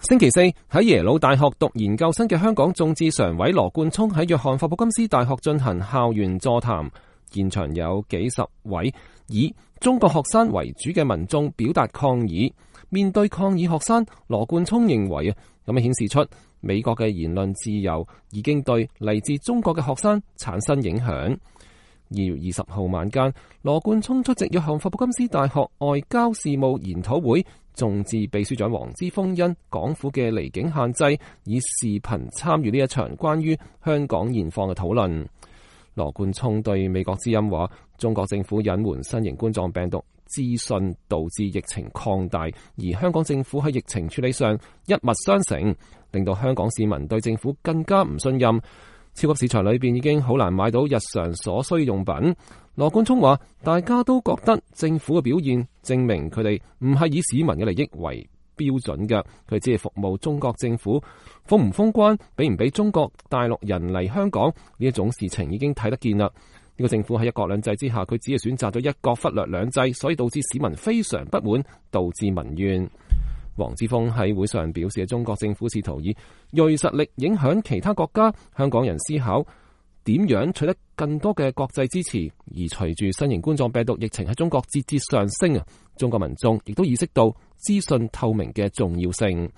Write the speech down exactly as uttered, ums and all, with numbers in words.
星期四喺耶魯大學讀研究生嘅香港眾志常委羅冠聰喺約翰霍普金斯大學進行校園座談，現場有幾十位以中國學生為主嘅民眾表達抗議。面對抗議學生，羅冠聰認為啊，咁樣顯示出美國嘅言論自由已經對嚟自中國嘅學生產生影響。二月二十號晚間，羅冠聰出席約翰霍普金斯大學外交事務研討會，眾志秘書長黃之鋒因港府嘅離境限制，以視頻參與呢一場關於香港現況嘅討論。羅冠聰對美國之音話，中國政府隱瞞新型冠狀病毒資訊，導致疫情擴大，而香港政府喺疫情處理上一脈相承，令到香港市民對政府更加唔信任。超級市場裏邊已經好難買到日常所需用品。羅冠聰話，大家都覺得政府嘅表現證明佢哋唔係以市民嘅利益為標準嘅，佢只係服務中國政府。封唔封關，俾唔俾中國大陸人嚟香港呢一種事情已經睇得見啦。呢個政府喺一國兩制之下，佢只係選擇咗一國，忽略兩制，所以導致市民非常不滿，導致民怨。黃之鋒喺會上表示，中國政府試圖以銳實力影響其他國家，香港人思考點樣取得更多嘅國際支持。而隨住新型冠狀病毒疫情喺中國節節上升啊，中國民眾亦都意識到資訊透明嘅重要性。